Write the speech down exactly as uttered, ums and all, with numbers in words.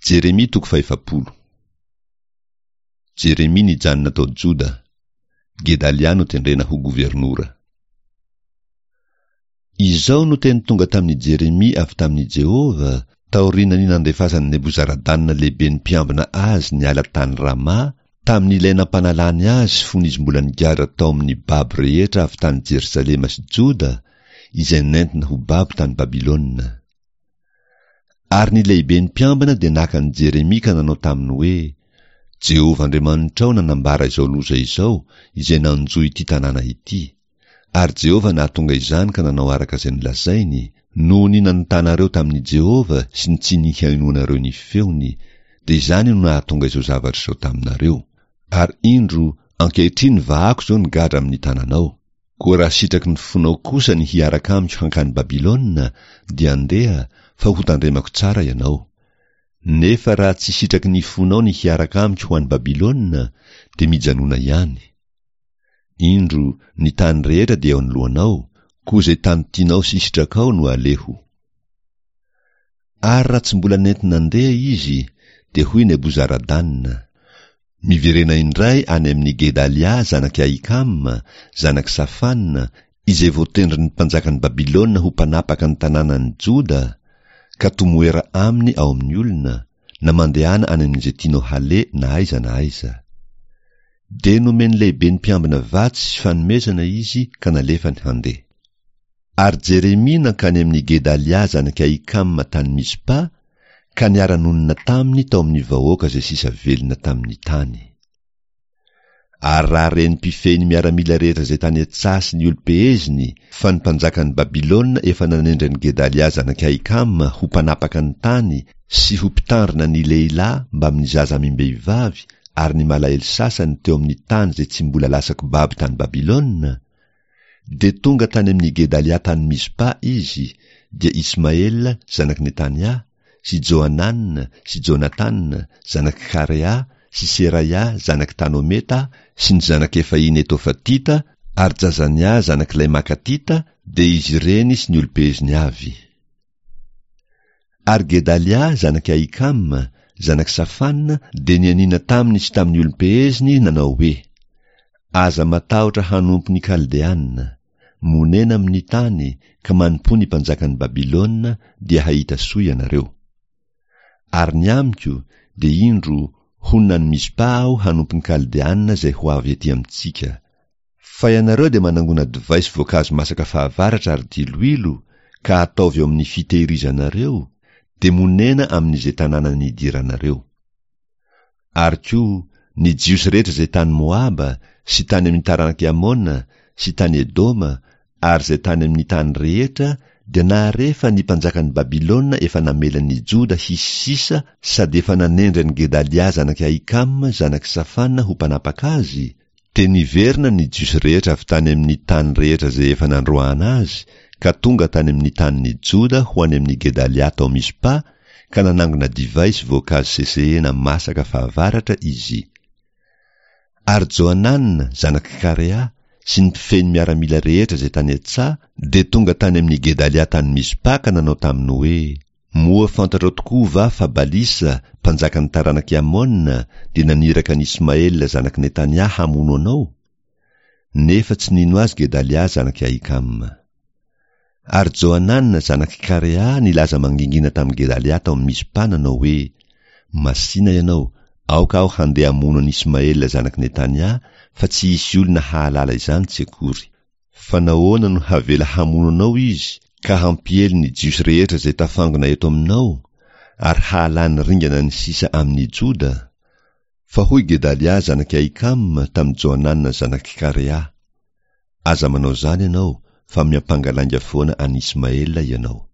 Jeremia toko fahefapolo. Jeremia nijanona tao Joda. Gedalia notendrena ho governora. Izao no teny tonga tamin'i Jeremia avy tamin'i Jehovah, taorian'ny nandefasan'i Nebozaradana lehiben'ny mpiambina azy niala tany Rama, tamin'ilay nampanalany azy fony izy mbola nigadra tao amin'ny babo rehetra avy tany Jerosalema sy Joda, izay nentina ho babo tany Babylona. Ary ny lehiben'ny mpiambina dia naka an'i Jeremia ka nanao taminy hoe, Jehovah Andriamanitrao nanambara izao loza izao, izay nanjo ity tanàna ity. Ary Jehovah nahatonga izany ka nanao araka izay nolazainy, noho ny nanotanareo tamin'i Jehovah sy ny tsy nihainoanareo ny feony, dia izany no nahatonga izao zavatra izao taminareo. Ary indro, ankehitriny vahako izao ny gadra amin'ny tananao. Koa raha sitraky ny fonao kosa ny hiaraka amiko hankany Babylona, dia andeha, fa hotandremako tsara ianao. Nefa raha tsy sitraky ny fonao ny hiaraka amiko ho any Babylona, dia mijanona ihany. Indro, ny tany rehetra dia eo anoloanao, koa izay tany tianao sy sitrakao no aleho. Ary raha tsy mbola nenti-nandeha izy, dia hoy Nebozaradana, Miverena indray any amin'i Gedalia zanak'i Ahikama, zanak'i Safana, izay voatendrin'ny mpanjakan'i Babylona ho mpanapaka ny tanànan'i Joda, ka tomoera aminy ao amin'ny olona, na mandehana any amin'izay tianao haleha na aiza na aiza. Dia nomen'ny lehiben'ny mpiambina vatsy sy fanomezana izy ka nalefany handeha. Ary Jeremia nankany amin'i Gedalia zanak'i Ahikama tany Mizpa, ka niara-nonina taminy tao amin'ny vahoaka izay sisa velona tamin'ny tany. Ary raha ren'ny mpifehy ny miaramila rehetra izay tany an-tsaha sy ny olom-peheziny fa ny mpanjakan'i Babylona efa nanendry an'i Gedalia zanak'i Ahikama ho mpanapaka ny tany sy ho mpitandrina ny lehilahy mbamin'ny zaza amim-behivavy ary ny malahelo sasany teo amin'ny tany izay tsy mbola lasako babo tany Babylona, dia tonga tany amin'i Gedalia tany Mizpa izy, dia Ismaela zanak'i Netania, sy Johanana sy Jonatana zanak'i Karea sy Seraia zanak'i Tanometa sy ny zanak'i Efahy Netofatita ary Jazania zanak'ilay Makatita, dia izy ireny sy ny olom-peheziny avy. Ary Gedalia zanak'i Ahikama, zanak'i Safana, dia nianiana taminy sy tamin'ny olom-peheziny nanao hoe, Aza matahotra hanompo ny Kaldeana. Monena amin'ny tany, ka manompoa ny mpanjakan'i Babylona, dia hahita soa ianareo. Ary ny amiko, dia indro, honina any Mizpa aho hanompo ny Kaldeana izay ho avy ety amintsika. Fa ianareo dia manangona divay sy voankazo masaka fahavaratra ary diloilo, ka ataovy eo amin'ny fitehirizanareo, dia monena amin'izay tanàna nidiranareo. Ary koa, ny Jiosy rehetra izay tany Moaba, sy tany amin'ny taranak'i Amona, sy tany Edoma, ary izay tany amin'ny tany rehetra, dia nahare fa ny mpanjakan'i Babylona efa namela ny Joda hisy sisa sady efa nanendry an'i Gedalia zanak'i Ahikama zanak'i Safana ho mpanapaka azy, dia niverina ny Jiosy rehetra avy tany amin'ny tany rehetra izay efa nandroahana azy, ka tonga tany amin'ny tanin'i Joda ho any amin'i Gedalia tao Mizpa, ka nanangona divay sy voankazo sesehena masaka fahavaratra izy. Ary Johanana, zanak'i Karea, sy ny mpifehy ny miaramila rehetra izay tany an-tsaha, dia tonga tany amin'i Gedalia tany Mizpa ka nanao taminy hoe, Moa fantatrao tokoa va fa Balisa, mpanjakan'ny taranak'i Amona, dia naniraka an'i Ismaela zanak'i Netania hamono anao? Nefa tsy nino azy Gedalia zanak'i Ahikama. Ary Johanana zanak'i Karea nilaza mangingina tamin'i Gedalia tao Mizpa nanao hoe, Masìna ianao, aoka aho handeha hamono an'i Ismaela zanak'i Netania, fa tsy hisy olona hahalala izany tsy akory. Fa nahoana no havela hamono anao izy, ka hampiely ny Jiosy rehetra izay tafangona eto aminao, ary hahalany ringana ny sisa amin'i Joda? Fa hoy Gedalia zanak'i Ahikama tamin'i Johanana zanak'i Karea, Aza manao izany ianao, fa miampanga lainga foana an'i Ismaela ianao.